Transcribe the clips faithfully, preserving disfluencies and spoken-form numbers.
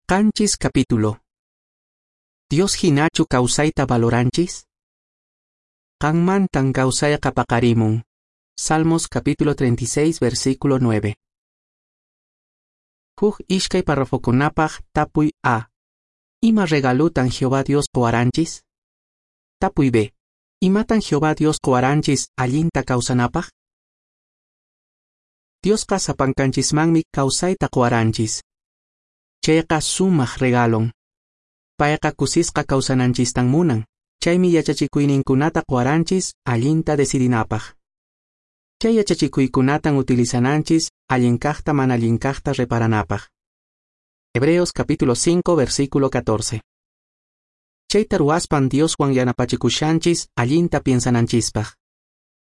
Qanchis capítulo. Dios hinachu kawsayta valoranchis? Qanmantan kawsayqa paqarimun. Salmos capítulo treinta y seis versículo nueve. Huk ishkay parrafokunapaq tapuy A. Ima regalutan Jehová Dios qowaranchis? Tapuy B. Imatan Jehová Dios qowaranchis allinta kawsanapaq? Diosqa sapankanchismanmi kawsayta qowaranchis. Chayqa sumaq regalon. Payqa kusisqa kawsananchistan munan. Chaymi yachachikuyninkunata qowaranchis allinta decidinapaq. Chay yachachikuykunatan utilizananchis allin kaqta mana allin kaqta reparanapaq. Hebreos capítulo cinco versículo catorce. Chayta ruwaspan Dioswan yanapachikushanchis allinta piensananchispaq.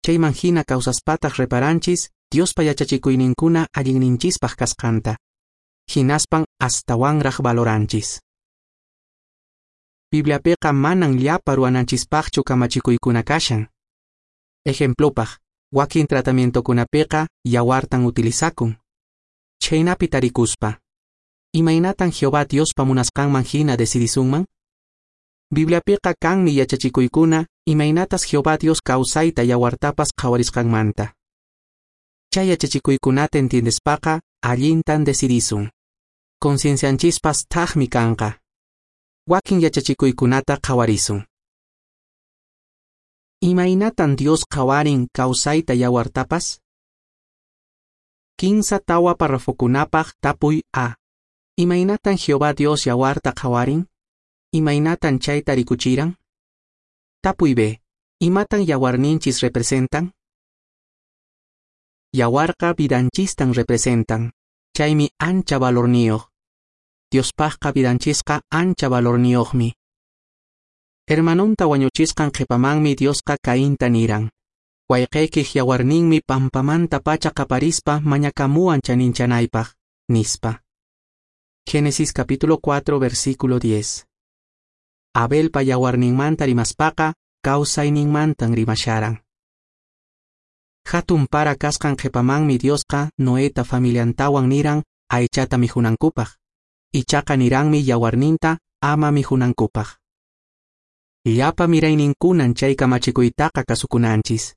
Chayman hina kawsaspataq reparanchis Diospa yachachikuyninkuna allinninchispaq kasqanta. Hinaspan astawanraq valoranchis. Bibliapiqa manan llapa ruwananchispaqchu kamachikuykuna kashan. Ejemplopaq, wakin tratamientokunapiqa yawartan utilizakun. Chhaynapi tarikuspa, imaynatan Jehová Diospa munasqanman hina decidisunman? Bibliapiqa kanmi yachachikuykuna imaynatas Jehová Dios kawsayta yawartapas qhawarisqanmanta. Chay yachachikuykunata entiendespaqa allintan decidisun. Conciencianchispas thaqmi kanqa. Wakin yachachikuykunata qhawarisun. Imaynatan Dios qhawarin kawsayta yawartapas? Kinsa tawa parrafokunapaq tapuy A. Imaynatan Jehová Dios yawarta qhawarin? Imaynatan chayta rikuchiran? Tapuy B. Imatan yawarninchis representan? Yawarqa vidanchistan representan. Chaymi ancha valorniyuq. Diospaqqa vidanchisqa ancha valorniyuqmi. Hermanunta wañuchisqan qhipamanmi Diosqa Cainta niran. Wayqaykiq yawarninmi pampamanta pacha qaparispa mañakamuwan chaninchanaypaq, nispa. Génesis capítulo cuatro versículo diez. Abelpa yawarninmanta rimaspaqa kawsayninmantan rimasharan. Hatun para kasqan qhipamanmi Diosqa Noeta familiantawan niran aychata mihunankupaq. Ichaqa niranmi yawarninta ama mihunankupaq. Llapa mirayninkunan chay kamachikuytaqa kasukunanchis.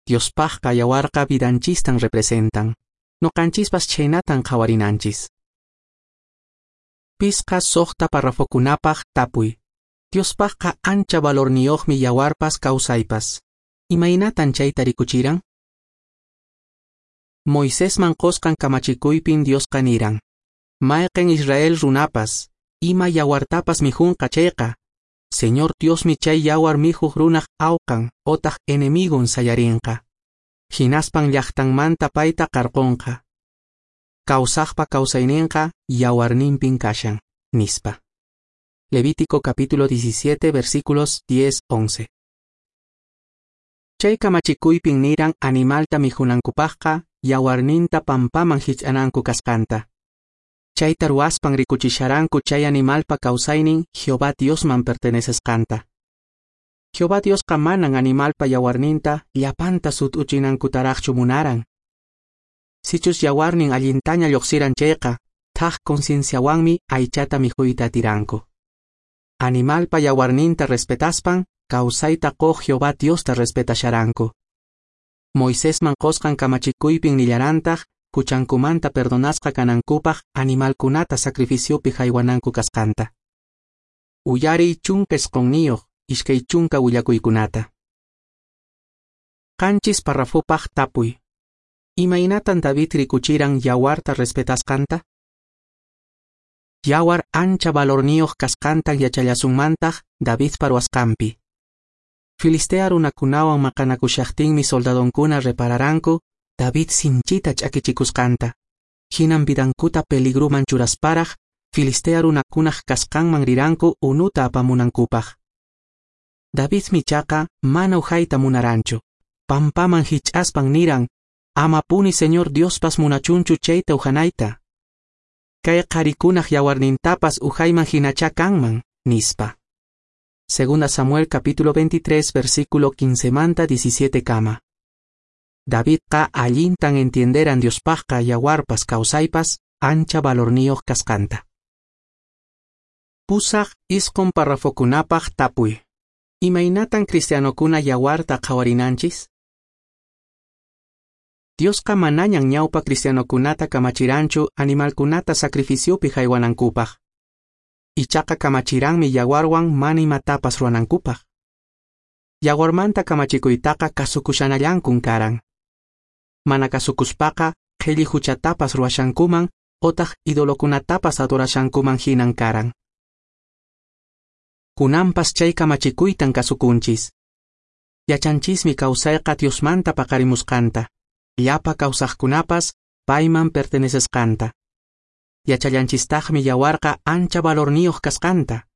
Diospaqqa yawarqa vidanchistan representan. Noqanchispas chhaynatan qhawarinanchis. Pisqa suqta parrafokunapaq tapuy. Diospaqqa ancha valorniyuqmi yawarpas kawsaypas. Imaynatan chayta rikuchiran? Moisesman qosqan kamachikuypin Diosqa niran. Mayqen Israel runapas, ima yawartapas mijunqa chayqa, Señor Diosmi chay yawar mijuq runaq awqan otaq enemigon sayarinqa. Hinaspan llaqtanmanta payta qarqunqa. Kawsaqpa kawsayninqa yawarninpin kashan, nispa. Levítico capítulo diecisiete versículos diez once. Chay kamachikuypin niran animalta mijunankupaqqa yawarninta pampaman hich'ananku kasqanta. Chayta ruwaspan rikuchisharanku chay animalpa kawsaynin Jehová Diosman pertenecesqanta. Jehová Diosqa manan animalpa yawarninta llapanta sut'uchinankutaraqchu munaran. Sichus yawarnin allintaña lluqsiran chayqa, thaq concienciawanmi aychata mikhuyta atiranku. Animalpa yawarninta respetaspan, kawsayta quq Jehová Diosta respetasharanku. Moisesman qosqan kamachikuypin nillarantaq, huchankumanta perdonasqa kanankupaq animalkunata sacrificiopi haywananku kasqanta. Uyariy chunka isqunniyuq iskay chunka willakuykunata. Qanchis parrafopaq tapuy. Imaynatan David rikuchiran yawarta respetasqanta? Yawar ancha valorniyuq kasqantan yachallasunmantaq Davidpa ruwasqanpi. Filistea runakunawan maqanakushaqtinmi soldadonkuna repararanku David sinchita ch'akichikusqanta. Hinan vidankuta peligruman churasparaq Filistea runakunaq kasqanman riranku unuta apamunankupaq. Davidmi ichaqa mana uhayta munaranchu. Pampaman hich'aspan niran, amapuni Señor Diospas munachunchu chayta uhanayta. Kay qharikunaq yawarnintapas uhayman hinachá kanman, nispa. Segunda Samuel capítulo veintitrés versículo quince manta diecisiete kama. Davidqa allintan entienderan Diospaqqa yawarpas kawsaypas ancha valorniyuq kasqanta. Pusaq isqun parrafokunapaq tapuy. Imaynatan cristianokuna yawarta qhawarinanchis? Diosqa manañan ñawpa cristianokunata kamachiranchu animalkunata sacrificiopi haywanankupaq. Ichaqa kamachiranmi yawarwan mana imatapas ruwanankupaq. Yawarmanta kamachikuytaqa kasukushanallankun karan. Mana kasukuspaqa qhelli huchatapas ruwashankuman otaq idolokunatapas adorashankuman hinan karan. Kunanpas chay kamachikuytan kasukunchis. Yachanchismi kawsayqa Diosmanta paqarimusqanta, llapa kawsaqkunapas payman pertenecesqanta. Yachallanchistaqmi yawarqa ancha valorniyuq kasqanta,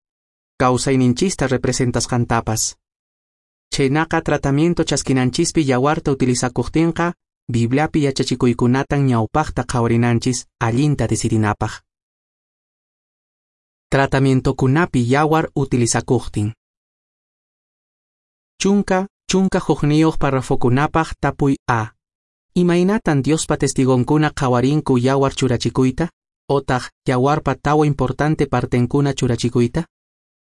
kawsayninchista representasqantapas. Chhaynaqa tratamiento chaskinanchispi yawarta utilizakuqtinqa, Bibliapi yachachikuykunatan ñawpaqta qhawarinanchis allinta decidinapaq. Tratamientokunapi yawar utilizakuqtin. Chunka, chunka hukniyuq parrafokunapaq tapuy A. Imaynatan Diospa testigonkuna qhawarinku yawar churachikuyta? Otaq yawarpa tawa importante partenkuna churachikuyta?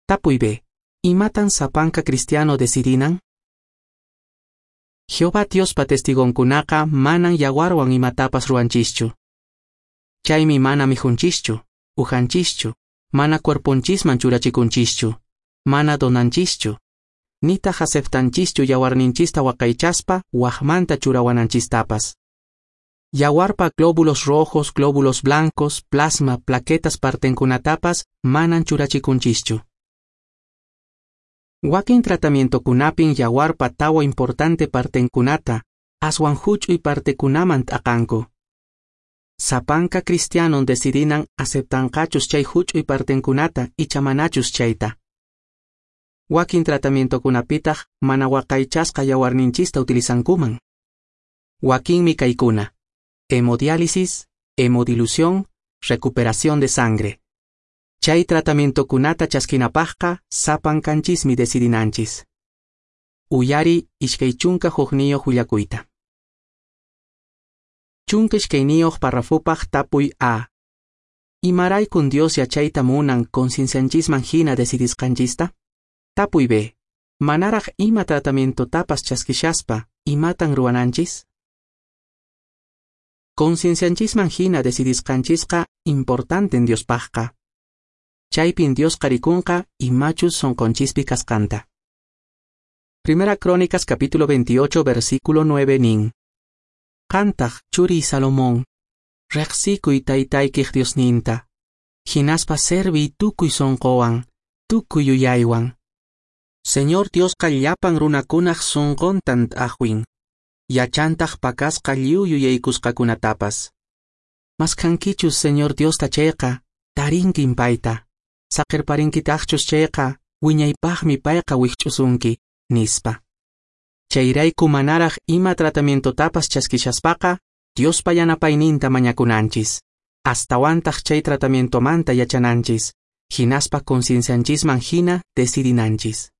Tapuy B. Imatan sapanka cristiano decidinan? Jehová Diospa testigonkunaqa manan yawarwan imatapas ruwanchischu. Chaymi mana mijunchischu, ujanchischu, mana cuerponchisman churachikunchischu, mana donanchischu, nitaq aceptanchischu yawarninchista waqaychaspa waqmanta churawananchistapas. Yawarpa glóbulos rojos, glóbulos blancos, plasma, plaquetas partenkunatapas manan churachikunchischu. Wakin tratamientokunapin yawarpa tawa importante partenkunata, aswan huch'uy partekunaman t'aqanku. Sapanka cristianon decidinan aceptanqachus chay huch'uy partenkunata icha manachus chayta. Wakin tratamientokunapitaq mana waqaychasqa yawarninchista utilizankuman. Wakinmi kaykuna: hemodiálisis, hemodilución, recuperación de sangre. Chay tratamientokunata chaskinapaqqa sapankanchismi decidinanchis. Uyari iskay chunka hukniyuq willakuyta. Chunka iskayniyuq parrafopaq tapuy A. Imaraykun Dios yachayta munan conciencianchisman hina decidisqanchista? Tapuy B. Manaraq ima tratamientotapas chaskishaspa, imatan ruwananchis? Conciencianchisman hina decidisqanchisqa importanten Diospaqqa. Chaypin Diosqa rikunqa imachus sonqonchispi kasqanta. Primera Crónicas capítulo veintiocho versículo nueve nin. Qantaq churiy Salomón, riqsikuy taytaykiq Diosninta, hinaspa serviy tukuy sonqowan, tukuy yuyaywan. Señor Diosqa llapan runakunaq sonqontan t'aqwin, yachantaq pakasqa lliw yuyaykusqakunatapas. Maskhankichus Señor Diosta chayqa, tarinkin payta. Saqirparinkitaqchus chayqa, wiñaypaqmi payqa wikch'usunki, nispa. Chayrayku manaraq ima tratamientotapas chaskishaspaqa, Diospa yanapayninta mañakunanchis. Astawantaq chay tratamientomanta yachananchis, hinaspa conciencianchisman hina decidinanchis.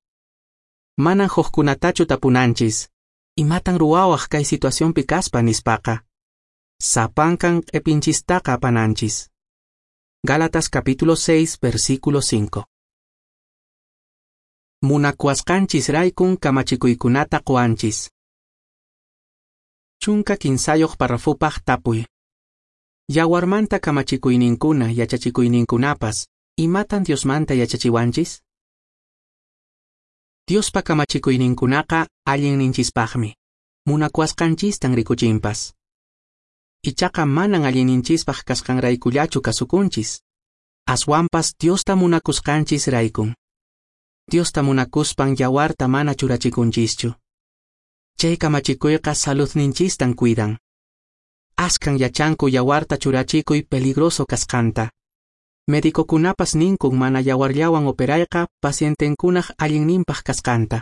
Manan hukkunatachu tapunanchis, imatan ruwawaq kay situacionpi kaspa nispaqa. Sapankan q'ipinchistaqa apananchis. Gálatas capítulo seis, versículo cinco. Munakuwasqanchis raykun kamachikuykunata quwanchis. Chunka kinsayuq parrafopaq tapuy. Yawarmanta kamachikuyninkuna yachachikuyninkunapas, imatan Diosmanta yachachiwanchis? Diospa kamachikuyninkunaqa allinninchispaqmi, munakuwasqanchistan rikuchinpas. Ichaqa manan allinninchispaq kasqanraykullachu kasukunchis, aswanpas Diosta munakusqanchis raykun. Diosta munakuspan yawarta mana churachikunchischu. Chay kamachikuyqa saludninchistan cuidan. Askan yachanku yawarta churachikuy peligroso kasqanta. Médicokunapas ninkun mana yawarllawan operayqa pacientenkunaq allinninpaq kasqanta.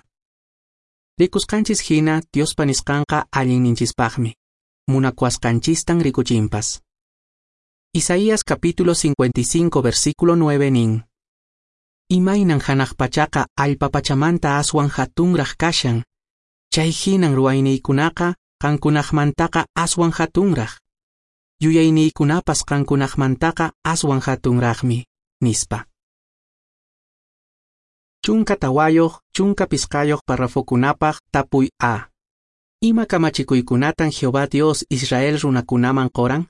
Rikusqanchis hina Diospa nisqanqa allinninchispaqmi. Munakuwasqanchistan rikuchinpas. Isaías capítulo cincuenta y cinco versículo nueve nin. Imaynan hanaq pachaqa allpa pachamanta aswan hatunraq kashan, chay hinan ruwayniykunaqa qankunaqmantaqa aswan hatunraq. Yuyayniykunapas qankunaqmantaqa aswan hatunraqmi, nispa. Chunka tawayoq, chunka pisqayoq parrafokunapaq tapuy A. Ima kamachikuykunatan Jehová Dios Israel runakunaman qoran?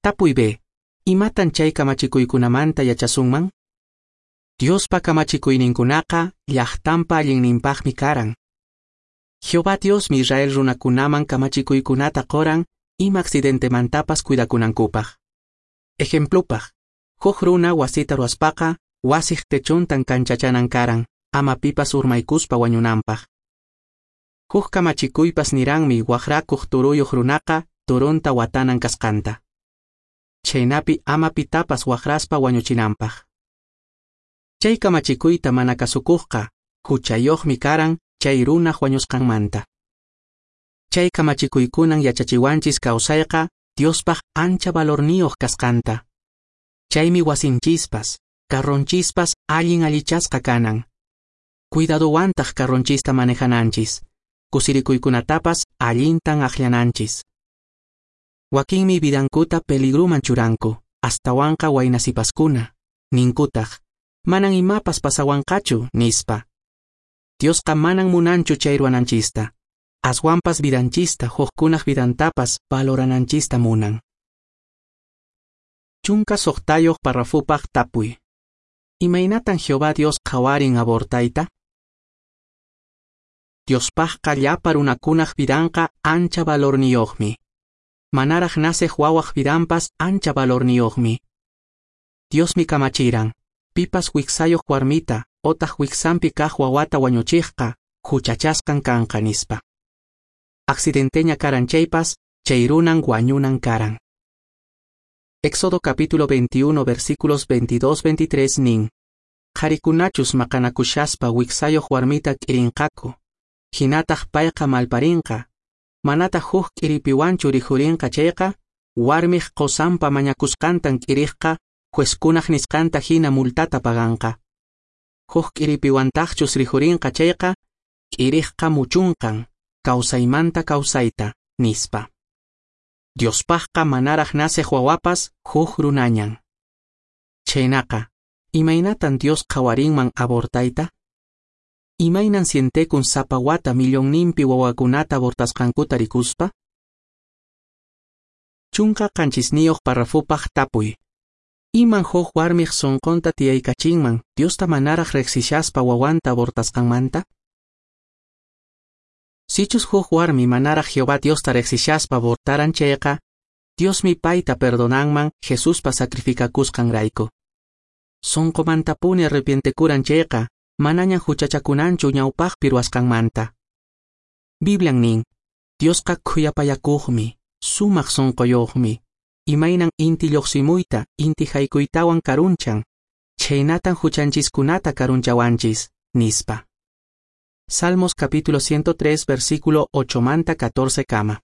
Tapuy B. Imatan chay kamachikuykunamanta yachasunman? Diospa kamachikuyninkunaqa llaqtanpa allinninpaqmi karan. Jehová Diosmi Israel runakunaman kamachikuykunata qoran ima accidentemantapas cuidakunankupaq. Ejemplupaq, huk runa wasita ruwaspaqa wasiq techontan kanchachanan karan, ama pipas urmaykuspa wañunanpaq. Huk kamachikuypas niranmi waqrakuq turuyuq runaqa turunta watanan kasqanta. Chhaynapi ama pitapas waqraspa wañuchinanpaq. Chay kamachikuyta mana kasukuqqa huchayuqmi karan chay runaq wañusqanmanta. Chay kamachikuykunan yachachiwanchis kawsayqa Diospaq ancha valorniyuq kasqanta. Chaymi wasinchispas, carronchispas allin allichasqa kanan. Cuidadowantaq carronchista manejananchis, kusirikuykunatapas allintan aqllananchis. Wakinmi vidankuta peligruman churanku, astawanqa waynasipaskuna, ninkutaq, manan imapas pasawanqachu, nispa. Diosqa manan munanchu chay ruwananchista, aswanpas vidanchista hukkunaq vidantapas valorananchista munan. Chunka suqtayuq parrafupaq tapuy. Imaynatan Jehová Dios qhawarin abortayta? Diospaqqa llapa runakunaq vidanqa ancha valorniyuqmi. Manaraq naceq wawaq vidanpas ancha valorniyuqmi. Diosmi kamachiran, pipas wiksayuq warmita otaq wiksanpi kaq wawata wañuchiqqa huchachasqan kanqa nispa. Accidenteña karan chaypas, chay runan wañunan karan. Éxodo capítulo veintiuno versículos veintidós veintitrés nin, qharikunachus maqanakushaspa wiksayuq warmita k'irinqaku, hinataq payqa malparinqa, manataq huk k'iripiwanchu rikhurinqa chayqa, warmiq qosanpa mañakusqantan k'iriqqa, juezkunaq nisqanta hina multata paganqa. Huk k'iripiwantaqchus rikhurinqa chayqa, k'iriqqa muchunqan, kawsaymanta kawsayta, nispa. Diospaqqa manaraq naceq wawapas huk runañan. Chhaynaqa, imaynatan Dios qhawarinman abortayta? Imaynan sientekun sapa wata millonninpi wawakunata abortasqankuta rikuspa? Chunka qanchisniyuq parrafupaq tapuy. Iman huk warmiq sunqunta tiyaykachinman Diosta manaraq riqsishaspa wawanta abortasqanmanta? Sichus huk warmi manaraq Jehová Diosta riqsishaspa abortaran chayqa, Diosmi payta perdonanman Jesuspa sacrificakusqanrayku. Sunqumantapuni arrepientekuran chayqa, manañan huchachakunanchu ñawpaqpi ruwasqanmanta. Biblian nin, Diosqa khuyapayakuqmi, sumaq sunquyuqmi, imaynan inti lluqsimuyta, inti haykuytawan karunchan, chhaynatan huchanchiskunata karunchawanchis, nispa. Salmos capítulo ciento tres versículo ocho manta catorce kama.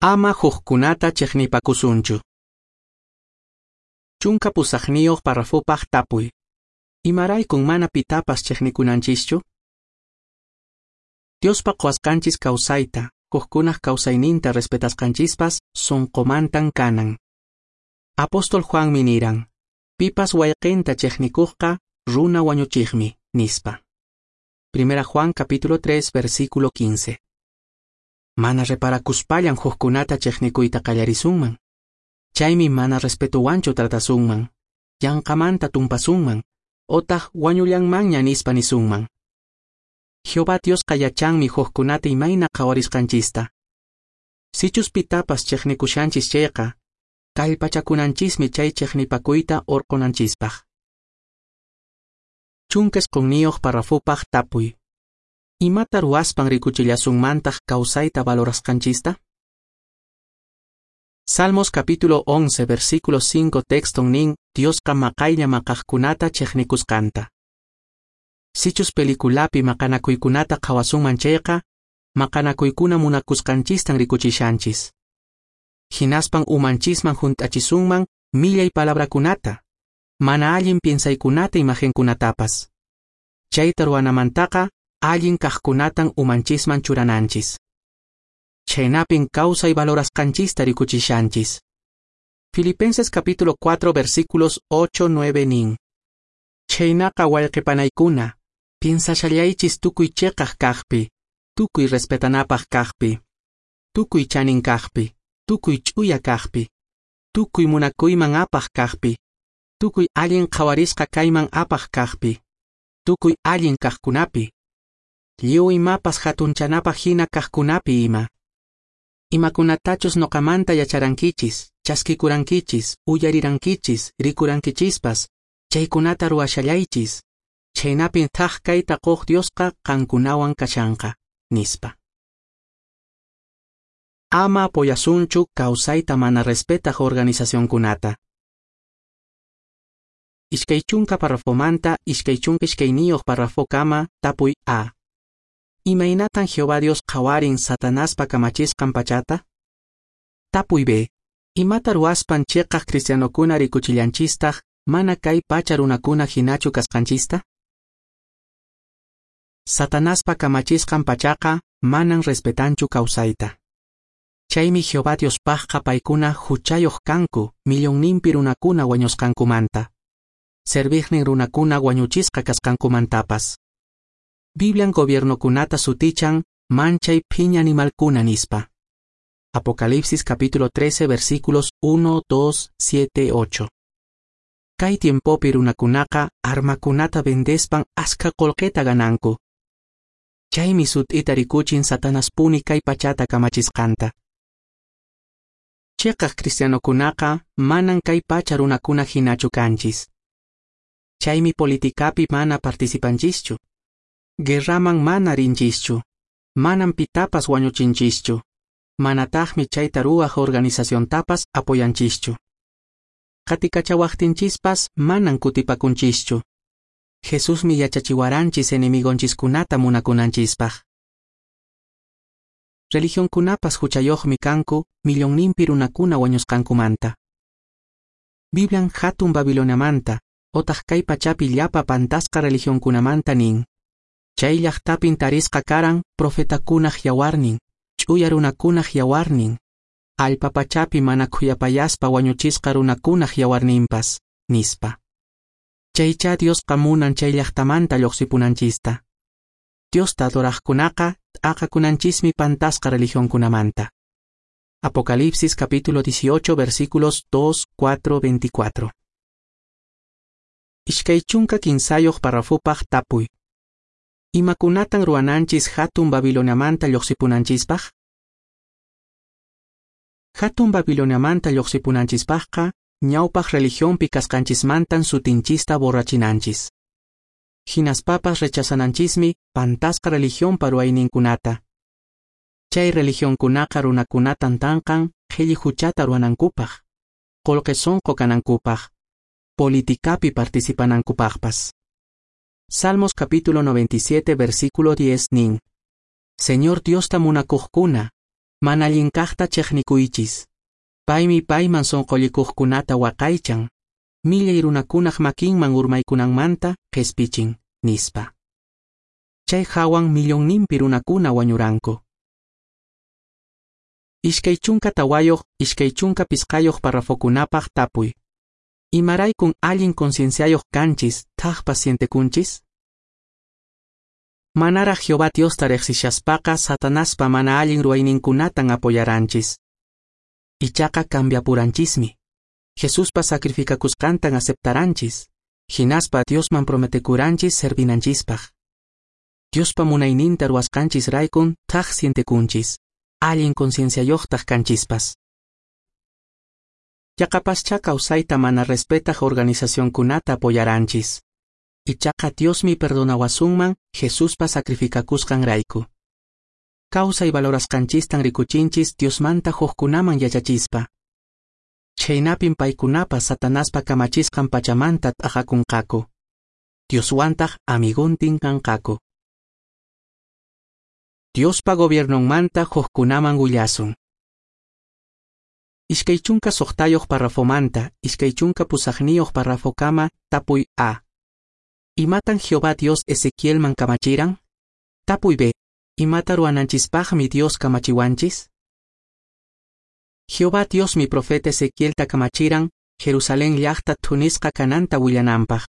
Ama hukkunata chiqnipakusunchu. Chunka pusaqniyuq parrafupaq tapuy. Imaraykun mana pitapas chiqnikunanchischu? Diospa qowasqanchis kawsayta, hukkunaq kawsayninta respetasqanchispas sunqumantan kanan. Apóstol Juanmi niran, pipas wayqinta chiqnikuqqa runa wañuchiqmi, nispa. Primera Juan capítulo tres versículo quince. Mana reparakuspallan hukkunata chiqnikuyta qallarisunman. Chaymi mana respetuwanchu tratasunman, yanqamanta tumpasunman, otaq wañullanmanña nispa nisunman. Jehová Diosqa yachanmi hukkunata imayna qhawarisqanchista. Sichus pitapas chiqnikushanchis chayqa, kallpachakunanchismi chay chiqnipakuyta urqunanchispaq. Chunka isqunniyuq parrafupaq tapuy. Imata ruwaspan rikuchillasunmantaq kawsayta valorasqanchista? Salmos capítulo once versículo cinco texton nin Diosqa maqaylla maqaqkunata chiqnikusqanta. Sichus peliculapi maqanakuykunata qhawasunman chayqa, maqanakuykuna munakusqanchistan rikuchishanchis. Hinaspan umanchisman hunt'achisunman millay palabrakunata, mana allin piensaykunata imagenkunatapas. Chayta ruwanamantaqa allin kaqkunatan umanchisman churananchis. Chhaynapin kawsay valorasqanchista rikuchishanchis. Filipenses capítulo cuatro versículos ocho nueve nin. Chhaynaqa wayqe panaykuna, piensashallaychis tukuy cheqaq kaqpi, tukuy respetanapaq kaqpi, tukuy chanin kaqpi, tukuy ch'uya kaqpi, tukuy munakuyman apaq kaqpi, tukuy allin qhawarisqa kayman apaq kaqpi, tukuy allin kaqkunapi, lliw imapas hatunchanapaq hina kaqkunapi ima. Imakunatachus noqamanta yacharankichis, chaskikurankichis, uyarirankichis, rikurankichispas, chaykunata ruwashallaychis, chhaynapin thak kayta quq Diosqa qankunawan kashanqa, nispa. Ama apoyasunchu kawsayta mana respetaq organizacionkunata. Iskay chunka parrafomanta iskay chunka iskayniyuq parrafokama tapuy A. Imaynatan Jehová Dios qhawarin Satanaspa kamachisqan pachata? Tapuy B. Imata ruwaspan cheqaq cristianokuna rikuchillanchistaq mana kay pacha runakuna hinachu kasqanchista? Satanaspa kamachisqan pachaqa manan respetanchu kawsayta. Chaymi Jehová Diospaqqa paykuna huchayuq kanku millonninpi runakuna wañusqankumanta, serviqnin runakuna wañuchisqa kasqankumantapas. Biblian gobiernokunata sutichan manchay phiña animalkuna nispa. Apocalipsis capítulo trece versículos uno, dos, siete, ocho. Kay tiempopi runakunaqa armakunata vendespan askha qullqita gananku. Chaymi sut'ita rikuchin Satanaspuni kay pachata kamachisqanta. Cheqaq cristianokunaqa manan kay pacha runakuna hinachu kanchis. Chaymi politikapi mana participanchischu. Guerraman mana rinchischu. Manan pitapas wañuchinchischu. Manataqmi chayta ruwaq organizaciontapas apoyanchischu. Qatikachawaqtinchispas manan kutipakunchischu. Jesusmi yachachiwaranchis enemigonchiskunata munakunanchispaq. Religionkunapas huchayuqmi kanku millonninpi runakuna wañusqankumanta. Biblian hatun Babiloniamanta otaq kay pachapi llapa pantasqa religionkunamanta nin. Chay llaqtapin tarisqa karan profetakunaq yawarnin, ch'uya runakunaq yawarnin, allpa pachapi mana khuyapayaspa wañuchisqa runakunaq yawarninpas, nispa. Chaycha Diosqa munan chay llaqtamanta lluqsipunanchista. Diosta adoraqkunaqa t'aqakunanchismi pantasqa religionkunamanta. Apocalipsis capítulo dieciocho versículos dos, cuatro, veinticuatro. Iskay chunka kinsayuq parrafopaq tapuy. Imakunatan ruwananchis hatun Babiloniamanta lluqsipunanchispaq? Hatun Babiloniamanta lluqsipunanchispaqqa ñawpaq religionpi kasqanchismantan sutinchista borrachinanchis. Hinaspapas rechazananchismi pantasqa religionpa ruwayninkunata. Chay religionkunaqa runakunatan tanqan qhilli huchata ruwanankupaq, qullqi sunqu kanankupaq, politikapi participanankupaqpas. Salmos capítulo noventa y siete versículo diez nin. Señor Diosta munakuqkuna, mana allinkaqta chiqnikuychis. Paymi payman sunqullikuqkunata waqaychan, millay runakunaq makinman urmaykunanmanta qhispichin, nispa. Chay hawan millonninpi runakuna wañuranku. Iskay chunka tawayuq, iskay chunka pisqayuq parrafokunapaq tapuy. Imaraykun allin concienciayuq kanchis, thaqpas sientekunchis? Manaraq Jehová Diosta riqsishaspaqa Satanaspa mana allin ruwayninkunatan apoyaranchis. Ichaqa cambiapuranchismi. Jesuspa sacrificakusqantan aceptaranchis, hinaspa Diosman prometekuranchis servinanchispaq. Diospa munayninta ruwasqanchis raykun thaq sientekunchis, allin concienciayuqtaq kanchispas. Yaqapascha kawsayta mana respetaq organizacionkunata apoyaranchis. Ichaqa Diosmi perdonawasunman Jesuspa sacrificakusqanrayku. Kawsay valorasqanchistan rikuchinchis Diosmanta hukkunaman yachachispa. Chhaynapin paykunapas Satanaspa kamachisqan pachamanta t'aqakunqaku. Dioswantaq amigontin kanqaku. Diospa gobiernonmanta hukkunaman willasun. Iskay chunka suqtayuq parrafomanta, iskay chunka pusaqniyuq parrafokama tapuy A. Imatan Jehová Dios Ezequielman kamachiran? Tapuy B. Imata ruwananchispaqmi Dios kamachiwanchis? Jehová Diosmi profeta Ezequielta kamachiran Jerusalén llaqta thunisqa kananta willananpaq.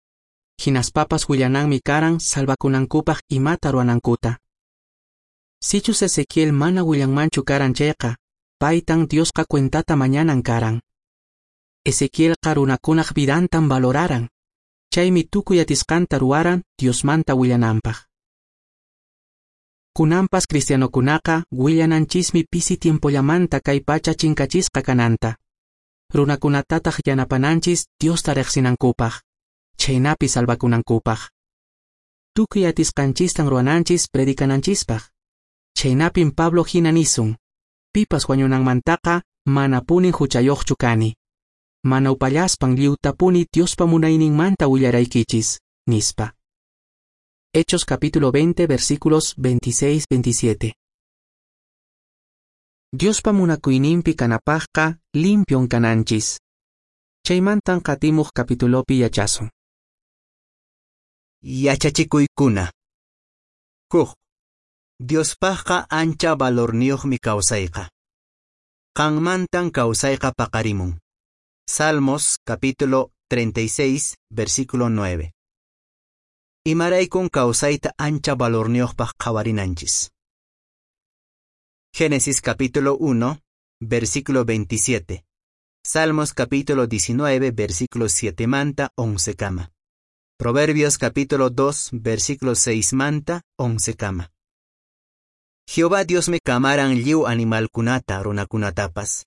Hinaspapas willananmi karan salvakunankupaq imata ruwanankuta. Sichus Ezequiel mana willanmanchu karan chayqa, paytan Diosqa cuentata mañanan karan. Ezequielqa runakunaq vidantan valoraran, chaymi tukuy atisqanta ruwaran Diosmanta willananpaq. Kunanpas cristianokunaqa willananchismi pisi tiempollamanta kay pacha chinkachisqa kananta. Runakunatataq yanapananchis Diosta riqsinankupaq, chhaynapi salvakunankupaq. Tukuy atisqanchistan ruwananchis predicananchispaq. Chhaynapin Pablo hina nisun, pipas wañunanmantaqa manapunin huchayuqchu kani. Mana upallaspan lliwtapuni Diospa munayninmanta willaraykichis, nispa. Hechos capítulo veinte, versículos veintiséis veintisiete. Diospa munakuyninpi kanapaqqa limpion kananchis. Chaymantan qatimuq capitulopi yachasun. Yachachikuykuna. Huk. Diospaqqa ancha valorniyuqmi kawsayqa. Qanmantan kawsayqa paqarimun. Salmos capítulo treinta y seis, versículo nueve. Imaraykun kawsayta ancha valorniyuqpaq qhawarinanchis. Génesis capítulo uno, versículo veintisiete. Salmos capítulo diecinueve, versículo siete manta once kama. Proverbios capítulo dos, versículo seis manta once kama. Jehová Dios me kamaran lliw animalkunata runakunatapas.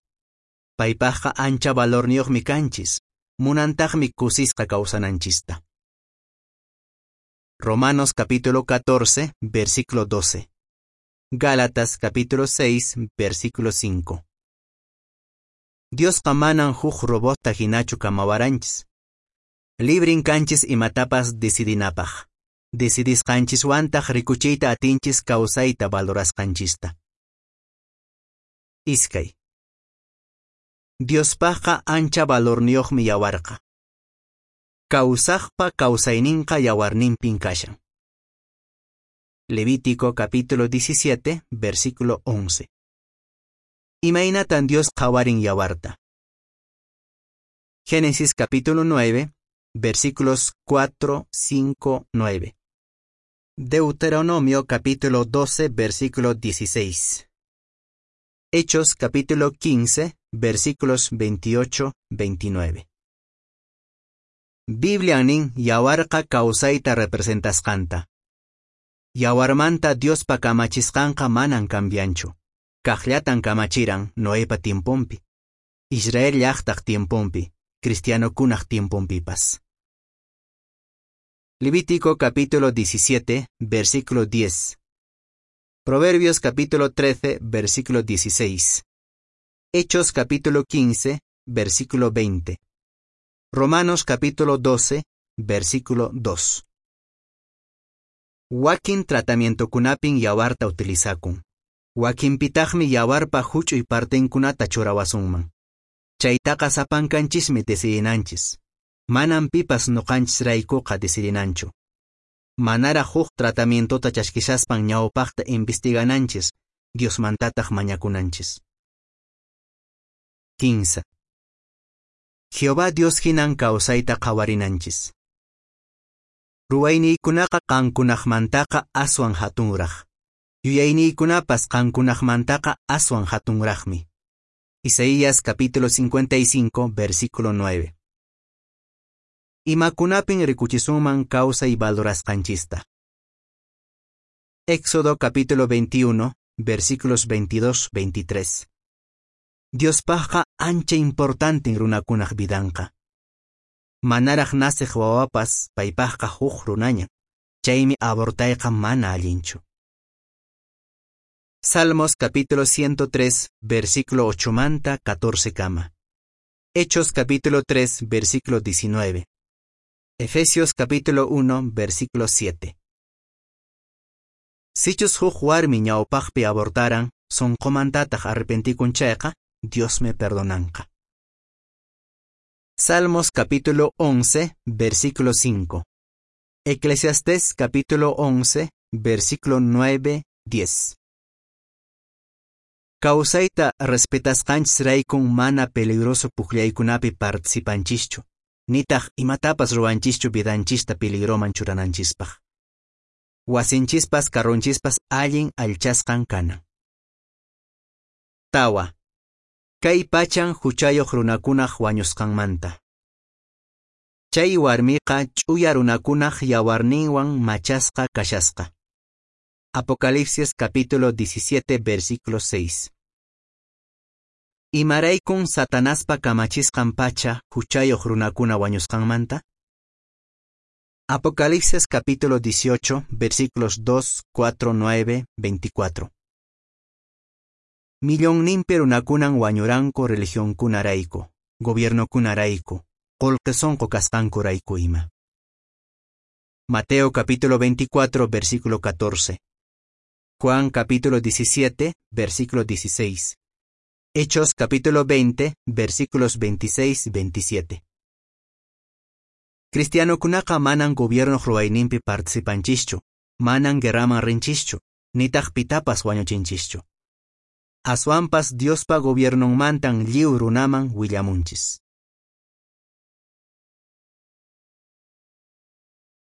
Paypaqqa ancha valorniyuqmi kanchis, munantaqmi kusisqa kawsananchista. Romanos capítulo catorce, versículo doce. Gálatas capítulo seis, versículo cinco. Diosqa manan huk robota hinachu kamawaranchis. Librin kanchis imatapas decidinapaq. Decidisqanchiswantaq rikuchiyta atinchis kawsayta valorasqanchista. Iskay. Diospaqqa ancha valorniyuqmi yawarqa. Kawsaqpa kawsayninqa yawarninpin kashan. Levítico capítulo diecisiete, versículo once. Imaynatan Dios qhawarin yawarta. Génesis capítulo nueve, versículos cuatro, cinco, nueve. Deuteronomio capítulo doce, versículo dieciséis. Hechos capítulo quince, versículos veintiocho, veintinueve. Biblia nin yawarqa kawsayta representasqanta. Yawarmanta Diospa kamachisqanqa manan cambianchu. Kaqllatan kamachiran Noepa tiemponpi, Israel llaqtaq tiemponpi, cristianokunaq tiemponpipas. Levítico capítulo diecisiete, versículo diez. Proverbios capítulo trece, versículo dieciséis. Hechos capítulo quince, versículo veinte. Romanos capítulo doce, versículo dos. Wakin tratamientokunapin yawarta utilizakun. Wakinpitaqmi yawarpa huch'uy partenkunata churawasunman. Chaytaqa sapankanchismi decidinanchis. Manan pipas nuqanchisraykuqa decidinanchu. Manaraq huk tratamientota chaskishaspan ñawpaqta investigananchis, Diosmantataq mañakunanchis. Kinsa. Jehová Dios hinan kawsayta qhawarinanchis. Ruwayniykunaqa qankunaqmantaqa aswan hatunraq. Yuyayniykunapas qankunaqmantaqa aswan hatunraqmi. Isaías capítulo cincuenta y cinco, versículo nueve. Imakunapin rikuchisunman kawsay valorasqanchista. Éxodo capítulo veintiuno, versículos veintidós, veintitrés. Diospaqqa ancha importanten runakunaq vidanqa. Manaraq naciq wawapas paypaqqa huk runaña, chaymi abortayqa mana allinchu. Salmos capítulo ciento tres, versículo ocho manta catorce kama. Hechos capítulo tres, versículo diecinueve. Efesios capítulo uno, versículo siete. Sichus huk warmi ñawpaqpi abortaran, sunqumantataq arrepentikun chayqa, Dios me perdonanqa. Salmos capítulo once, versículo cinco. Eclesiastés capítulo once, versículo nueve, diez. Kawsayta respetasqanchisraykun mana peligroso pukllaykunapi participanchischu. Nitaq imatapas ruwanchischu vidanchista peligroman churananchispaq. Wasinchispas carronchispas allin allchasqan kanan. Tawa. Kay pachan huchayoq runakunaq wañusqanmanta. Chay warmiqa ch'uya runakunaq yawarninwan machasqa kashasqa. Apocalipsis capítulo diecisiete versículo seis. Imaraykun Satanaspa kamachisqan pacha huchayoq runakuna wañusqanmanta? Apocalipsis capítulo dieciocho versículos dos, cuatro, nueve, veinticuatro. Millonninpi runakunan wañuranku religionkunarayku, gobiernokunarayku, qullqi sunqu kasqankurayku ima. Mateo capítulo veinticuatro versículo catorce. Juan capítulo diecisiete versículo dieciséis. Hechos capítulo veinte versículos veintiséis veintisiete. Cristianokunaqa manan gobiernoq ruwayninpi participanchischu, manan guerraman rinchischu, nitaq pitapas wañuchinchischu. Aswanpas Diospa gobiernonmantan lliw runaman willamunchis.